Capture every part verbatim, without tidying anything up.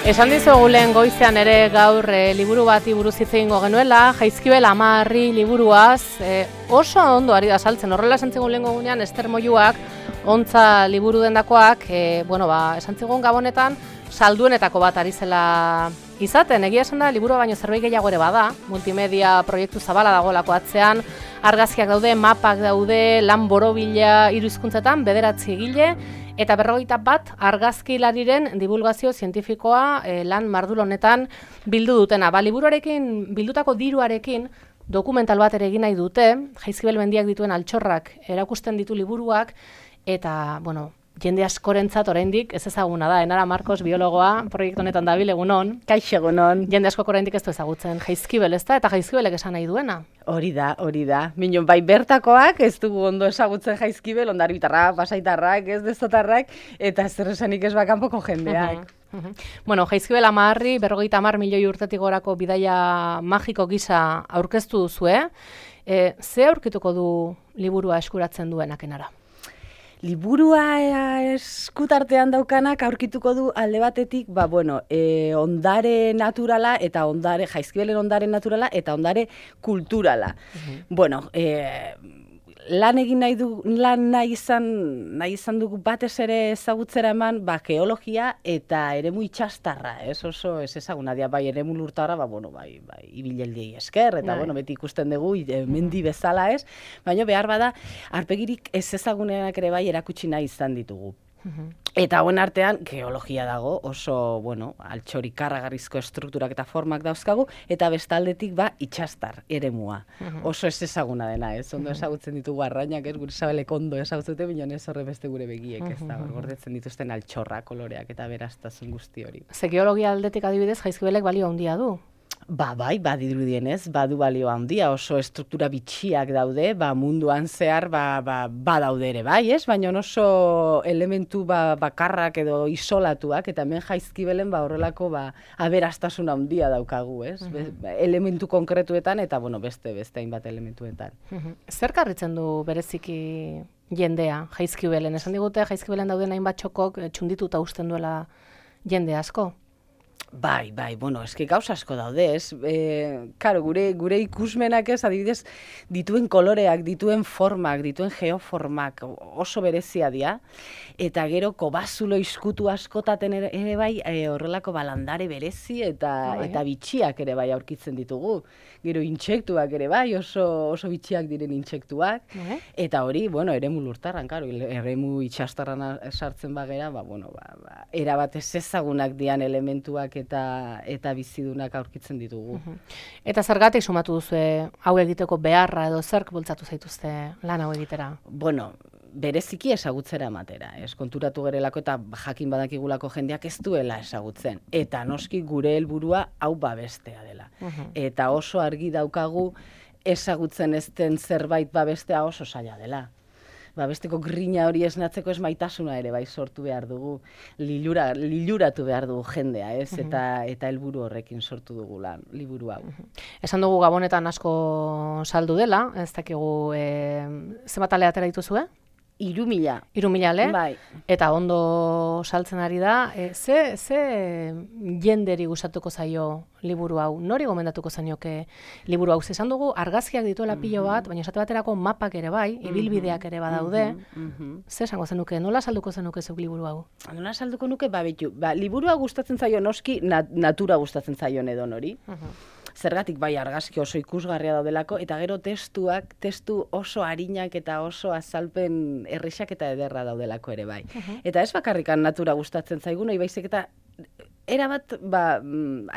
Esan dizugu lehen goizean ere gaur e, liburu bati buruz hitz egingo genuela, Jaizkibel Amarri liburuaz, e, oso ondo ari da saltzen. Horrela esan zigun lehen gogunean, Ester Moiuak, ontza liburu dendakoak, e, bueno, ba, esan zigun gabonetan, salduenetako bat ari zela izaten. Egia esan da, liburua baino zerbait gehiago ere bada, multimedia proiektu zabala dagoelako atzean, argazkiak daude, mapak daude, lan borobila hiru hizkuntzetan, bederatzi egile, eta berrogeita bat argazkilariren divulgazio zientifikoa e, lan mardul honetan bildu dutena. Ba, liburuarekin, bildutako diruarekin dokumental bat ere egin nahi dute, Jaizkibel mendiak dituen altxorrak erakusten ditu liburuak, eta, bueno, jende askorentzat oraindik ez ezaguna da. Enara Marcos, biologoa, proiektu honetan dabil, egunon. Kaixo, egunon. Jende asko oraindik ez du ezagutzen Jaizkibel, ez da? Eta Jaizkibelek esan nahi duena. Hori da, hori da. Minon, bai bertakoak ez dugu ondo ezagutzen Jaizkibel, ondarbitarrak, pasaitarrak, ez destotarrak, eta zer esanik ez bakanpoko jendeak. Uh -huh, uh -huh. Bueno, Jaizkibel Amarri, berrogeita hamar milioi urtetik gorako bidaia magiko gisa aurkeztu duzue. E, ze aurkituko du liburua eskuratzen duenak Enara? Liburua eskutartean daukanak aurkituko du alde batetik, ba, bueno, e, ondare naturala eta ondare, Jaizkibelen ondare naturala eta ondare kulturala. Uh-huh. Bueno, e, lan egin nahi du, lan nahi izan, nahi izan dugu batez ere ezagutzera eman, ba, geologia eta eremu itxastarra, ez oso ez ezaguna dia, bai, eremu lurtarra, ba, bueno, bai, bai, ibileldiei esker, eta, bai, bueno, beti ikusten dugu, e, mendi bezala ez, baina behar bada, arpegirik ez ezagunenak ere bai erakutsi nahi izan ditugu. Eta hauen artean, geologia dago, oso, bueno, altxori karragarrizko estrukturak eta formak dauzkagu, eta bestaldetik ba itxastar eremua. Oso ez ezaguna dena, ez ondo ezagutzen ditugu arrainak, ez gure Sabelek ondo ezagutzute, bineon ez horre beste gure begiek, ez da, gordetzen dituzten altxorra, koloreak eta beraztasun guzti hori. Ze geologia aldetik adibidez, Jaizkibelek balio handia du. Ba, bai, badirudienez, badu balio handia, oso estruktura bitxiak daude, ba, munduan zehar, ba, ba, ba daude ere, bai, ez? Baina oso elementu ba, bakarrak edo isolatuak, eta hemen Jaizkibelen ba, horrelako ba, aberastasun handia daukagu, ez? Uh -huh. Be, elementu konkretuetan, eta, bueno, beste, beste hainbat elementuetan. Uh -huh. Zer karritzen du bereziki jendea Jaizkibelen? Esan digute, Jaizkibelen dauden hainbat txokok txundituta usten duela jende asko? Bai, bai, bueno, eski gauza asko daude, ez? E, karo, gure, gure ikusmenak ez, adibidez, dituen koloreak, dituen formak, dituen geoformak oso berezia dira, eta gero kobazulo izkutu askotaten ere, ere bai, e, horrelako balandare berezi eta, oh, eta bitxiak ere bai aurkitzen ditugu. Gero intsektuak ere bai, oso, oso bitxiak diren intsektuak, oh, eta hori, bueno, eremu lurtarran, karo, eremu itxastarran sartzen bagera, ba, bueno, ba, ba, erabat ez ezagunak dian elementuak eta eta bizidunak aurkitzen ditugu. Uh-huh. Eta zergatik sumatu duzu hau egiteko beharra edo zerk bultzatu zaituzte lan hau egitera? Bueno, bereziki ezagutzera ematera, ez konturatu gerelako eta jakin badakigulako jendeak ez duela ezagutzen. Eta noski gure helburua hau babestea dela. Uh-huh. Eta oso argi daukagu ezagutzen ez den zerbait babestea oso zaila dela. Ba, besteko grina hori esnatzeko ez maitasuna ere bai sortu behar dugu, lilura, liluratu behar dugu jendea, ez? Uh-huh. Eta eta helburu horrekin sortu dugu lan, liburu hau. Uh-huh. Esan dugu gabonetan asko saldu dela, ez dakigu e, zenbat ale atera dituzue? Iru mila. Iru mila, le? Bai. Eta ondo saltzen ari da. E, ze, ze jenderi gustatuko zaio liburu hau? Nori gomendatuko zaioke liburu hau? Esan dugu argazkiak dituela pilo bat, baina esate baterako mapak ere bai, ibilbideak ere badaude. Ze esango zenuke? Nola salduko zenuke zuk liburu hau? Nola salduko nuke? Ba, betu, ba, liburua gustatzen zaio noski, nat, natura gustatzen zaio edon hori. Zergatik bai argazki oso ikusgarria daudelako, eta gero testuak, testu oso arinak eta oso azalpen errexak eta ederra daudelako ere bai. Uh-huh. Eta ez bakarrikan natura gustatzen zaigun, hori baizik eta erabat, ba,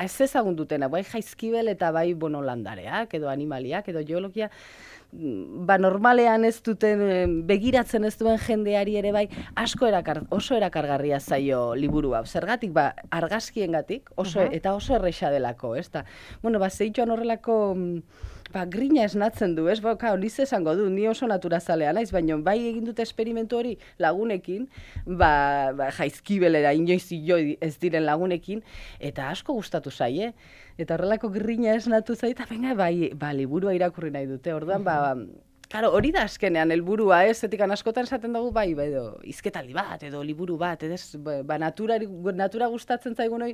ez ezagun dutena, bai Jaizkibel eta bai bono landareak, edo animaliak, edo geologia, ba normalean ez duten, begiratzen ez duen jendeari ere bai, asko erakar, oso erakargarria zaio liburu hau. Zergatik, ba, argazkiengatik, oso, uh-huh. eta oso erresa delako, ez da. Bueno, ba, zeituan horrelako, ba, grina esnatzen du, ez? Ba, kao, niz esango du, ni oso naturazalea naiz, baina bai egin dute esperimentu hori lagunekin, ba, ba Jaizkibelera inoiz joi ez diren lagunekin, eta asko gustatu zaie. Eta horrelako grina esnatu zaita, venga, bai, ba, liburua irakurri nahi dute. Orduan, ba, Karo, hori da azkenean, helburua, ez, etikan askotan esaten dugu, bai, bai, edo, izketaldi bat, edo liburu bat, edo, ba, natura, natura gustatzen zaigu noi,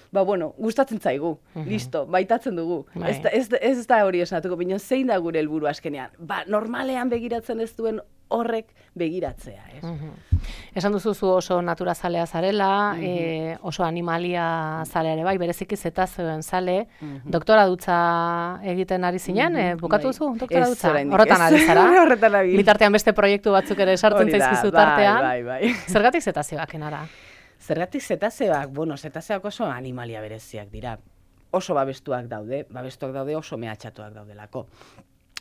ba, bueno, gustatzen zaigu, uh-huh. listo, baitatzen dugu. Bai. Ez, da, ez, ez da hori esnatuko, baina zein da gure helburu azkenean? Ba, normalean begiratzen ez duen horrek begiratzea, ez? Uh-huh. Esan duzu zu oso naturazalea zarela, uh-huh. e, oso animalia zalea ere bai, bereziki zetazioen zale, uh-huh. doktora dutza egiten ari zinen, uh-huh. e, bukatu duzu doktora dutza? Horretan ari zara? Horretan ari. Bitartean beste proiektu batzuk ere sartzen zaizkizu tartean. Bai, bai, bai. Zergatik zetazioak enara? Zergatik zetazioak, bueno, zetazioak oso animalia bereziak dira. Oso babestuak daude, babestuak daude oso mehatxatuak daudelako.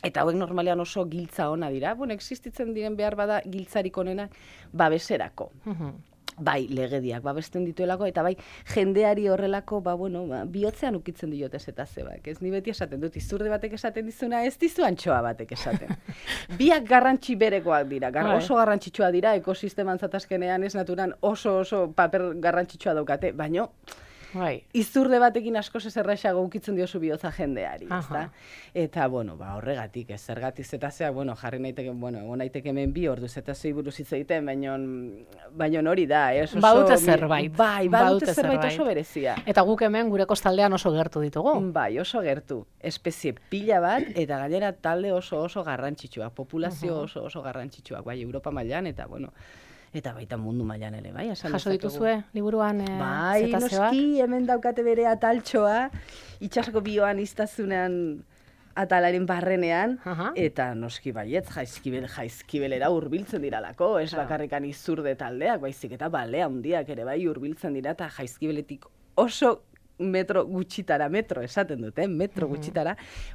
Eta hauek normalean oso giltza ona dira. Bueno, existitzen diren behar bada giltzarik onena babeserako. Uh-huh. Bai, legediak babesten dituelako, eta bai, jendeari horrelako, ba, bueno, ba, bihotzean ukitzen diote zetazioak. Ez ni beti esaten dut, izurde batek esaten dizuna, ez dizu antxoa batek esaten. Biak garrantzi berekoak dira, gar, oso garrantzitsua dira, ekosisteman zatazkenean ez naturan oso oso paper garrantzitsua daukate, baino, bai. Izurde batekin asko zerraixago ukitzen diozu bihotza jendeari, ezta? Eta, bueno, ba, horregatik, ez zergatik zetazioak, bueno, jarri naiteke, bueno, egon naiteke hemen bi ordu zetazioi buruz hitz egiten, baino, baino hori da, ez? Oso, badute zerbait. Bai, badute zerbait oso berezia. Eta guk hemen gure kostaldean oso gertu ditugu. Bai, oso gertu. Espezie pila bat, eta gainera talde oso oso garrantzitsuak, populazio oso oso garrantzitsuak, bai, Europa mailan, eta, bueno, eta baita mundu mailan ere, bai? Jaso dituzue liburuan e, bai, zetazioak? Noski, hemen daukate bere ataltxoa, itxasoko bioan iztazunean atalaren barrenean, uh-huh. eta noski baiet, jaizkibel, jaizkibelera hurbiltzen diralako, ez claro. Bakarrikan izurde taldeak, baizik eta balea handiak ere bai hurbiltzen dira, eta jaizkibeletik oso metro gutxitara, metro esaten dute, metro mm-hmm. gutxitara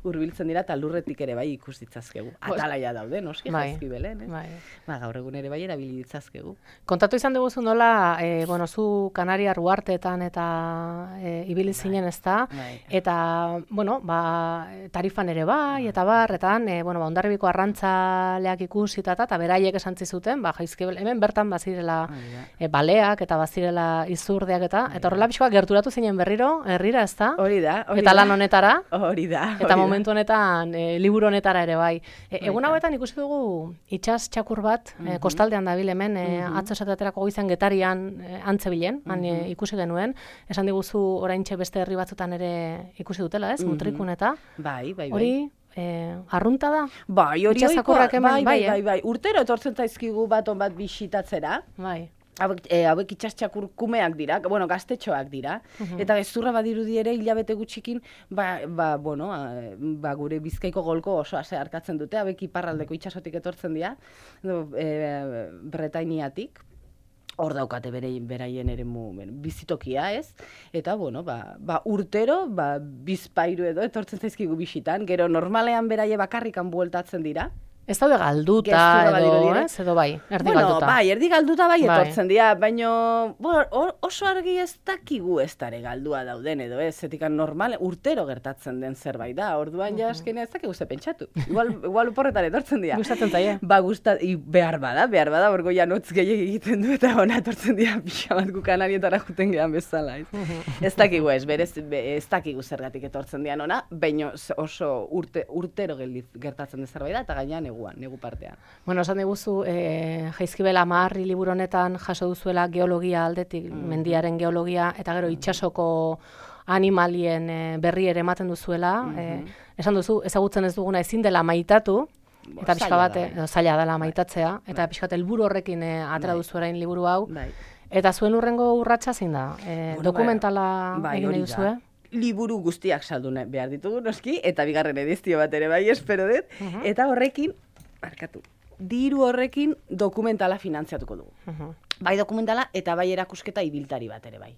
hurbiltzen dira eta lurretik ere bai ikus ditzazkegu. Atalaia daude, noski, bai. Jaizkibelen, eh? Bai. Ba, gaur egun ere bai erabili ditzazkegu. Kontatu izan dugu nola, e, bueno, zu Kanaria Ruarteetan eta e, ibili zinen ez da, bai. Eta, bueno, ba, tarifan ere bai, eta barretan, e, bueno, ba, Hondarribiko arrantzaleak ikusita eta beraiek esan zizuten, ba, Jaizkibel, hemen bertan bazirela e, baleak eta bazirela izurdeak eta, eta horrela pixkoa gerturatu zinen berriro, herrira, ez da? Hori da, hori eta lan honetara. Hori da. Eta hori momentu honetan, e, liburu honetara ere bai. E, egun hauetan ikusi dugu itsas txakur bat, mm-hmm. e, kostaldean dabil hemen, e, mm-hmm. atzo esaterako goizan Getarian e, antzebilen, han mm-hmm. e, ikusi genuen. Esan diguzu oraintxe beste herri batzutan ere ikusi dutela, ez? Mm-hmm. Mutrikun eta. Bai, bai, bai. Hori, e, arrunta da? Bai, hori oikoa, bai, bai, bai, bai, bai, bai. Urtero etortzen zaizkigu bat on bat bisitatzera. Bai. Hauek, e, hauek itxastxakur kumeak dira, bueno, gaztetxoak dira, uh-huh. eta gezurra badirudi ere hilabete gutxikin, ba, ba, bueno, a, ba, gure Bizkaiko golko oso ase harkatzen dute, hauek iparraldeko itxasotik etortzen dira, e, Bretainiatik, hor daukate bere, beraien ere mu, bizitokia, ez? Eta, bueno, ba, ba urtero, ba, bizpairu edo etortzen zaizkigu bisitan, gero normalean beraie bakarrikan bueltatzen dira. Ez daude galduta edo, ez? Edo bai, erdi bueno, galduta. Bai, erdi galduta bai etortzen dira, baina bueno, oso argi ez dakigu ez dare galdua dauden edo ez, zetikan normal, urtero gertatzen den zerbait da, orduan ja eskenea ez dakigu ze pentsatu. Igual, igual uporretan etortzen dira. Gustatzen zaie. Ba, gustat, behar bada, behar bada, orgo ja notz gehiagik egiten du eta ona etortzen dira pixa bat gu Kanarietara juten gehan bezala, ez? Ez dakigu ez, berez, ez dakigu zergatik etortzen dian ona, baina oso urte, urtero gertatzen den zerbait da, eta gainean neguan, negu partean. Bueno, esan diguzu, e, Jaizkibel Amarri liburu honetan jaso duzuela geologia aldetik, mm. mendiaren geologia, eta gero itsasoko animalien e, berri ere ematen duzuela. Mm-hmm. e, esan duzu, ezagutzen ez duguna ezin dela maitatu, eta pixka bat, da, zaila dela maitatzea, bai. Eta pixka bat helburu horrekin e, atera duzu orain liburu hau. Bai. Eta zuen urrengo urratsa zein da? E, bueno, dokumentala bai, egin nahi duzue? Liburu guztiak saldu behar ditugu noski, eta bigarren edizio bat ere bai, espero dut, uh-huh. eta horrekin, barkatu, diru horrekin dokumentala finantziatuko dugu. Uh-huh. Bai dokumentala eta bai erakusketa ibiltari bat ere bai.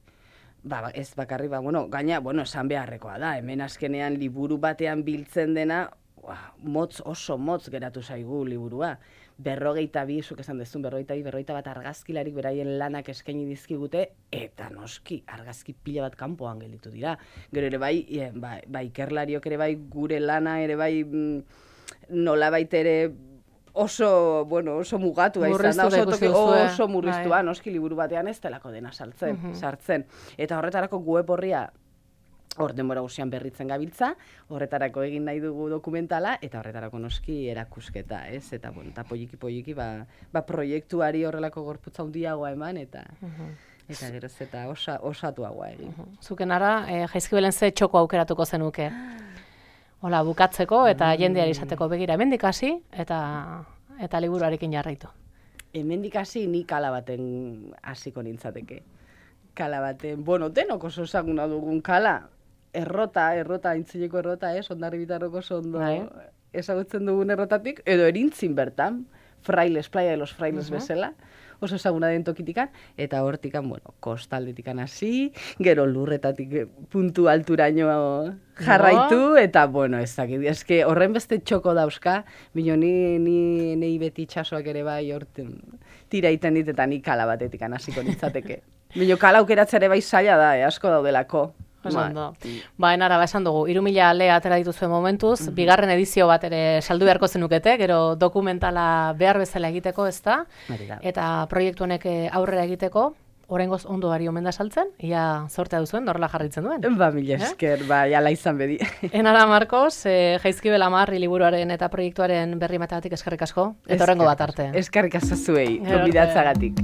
Ba, ez bakarri, ba, bueno, gaina, bueno, esan beharrekoa da, hemen azkenean liburu batean biltzen dena, ua, motz, oso motz geratu zaigu liburua. Berrogeita bi, zuk esan dezun, berrogeita bi, berrogeita bat argazkilarik beraien lanak eskaini dizkigute, eta noski, argazki pila bat kanpoan gelditu dira. Gero ere bai, e, ba, ba, ikerlariok ere bai, gure lana ere bai, nola baitere oso, bueno, oso mugatu izan da, oso, toki, oso murriztua, bai. Noski liburu batean ez delako dena saltzen, uh-huh. sartzen. Eta horretarako web horria hor denbora guzian berritzen gabiltza, horretarako egin nahi dugu dokumentala, eta horretarako noski erakusketa, ez? Eta, bueno, eta poliki-poliki, ba, ba proiektuari horrelako gorputza handiagoa eman, eta uh-huh. eta geroz eta osa, osatuagoa egin. Uh-huh. Zuken ara, eh, Jaizkibelen ze txoko aukeratuko zenuke? Hola, bukatzeko eta jendeari izateko begira hemendik hasi eta eta liburuarekin jarraitu. Hemendik hasi ni kala baten hasiko nintzateke. Kala baten, bueno, denok oso ezaguna dugun kala. Errota, errota, aintzileko errota, ez, Hondarribitarroko oso ondo ezagutzen dugun errotatik, edo Erintzin bertan, Frailes, Playa de los Frailes uh-huh. bezala, oso ezaguna den tokitikan, eta hortikan, bueno, kostaldetikan hasi, gero lurretatik puntu alturaino jarraitu, no. Eta, bueno, ez dakit, eske horren beste txoko dauzka, bino ni, ni, ni beti itxasoak ere bai horten tira iten dit, eta ni kala batetikan hasiko nintzateke. Bino kala aukeratzea ere bai zaila da, eh, asko daudelako. Esan do. Ba, enara, ba, esan dugu, hiru mila ale atera dituzuen momentuz, mm-hmm. bigarren edizio bat ere saldu beharko zenukete, gero dokumentala behar bezala egiteko, ez da? Eta proiektu honek aurrera egiteko, oraingoz ondo ari omen da saltzen, ia zortea duzuen, norrela jarritzen duen. Ba, mila esker, eh? Ba, jala izan bedi. Enara, Marcos, eh, Jaizkibel Amarri liburuaren eta proiektuaren berri mateatik eskerrik asko, eta horrengo bat arte. Eskerrik asko zuei, gonbidatzagatik.